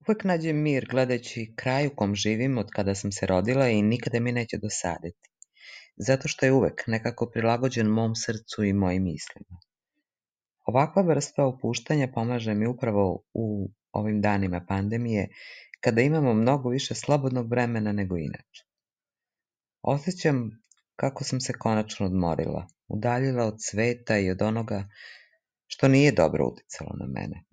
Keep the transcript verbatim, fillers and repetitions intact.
Uvek nađem mir gledajući kraj u kom živim od kada sam se rodila i nikada mi neće dosaditi, zato što je uvek nekako prilagođen mom srcu i mojim mislima. Ovakva vrsta opuštanja pomaže mi upravo u ovim danima pandemije, kada imamo mnogo više slobodnog vremena nego inače. Osjećam kako sam se konačno odmorila, udaljila od sveta i od onoga što nije dobro uticalo na mene.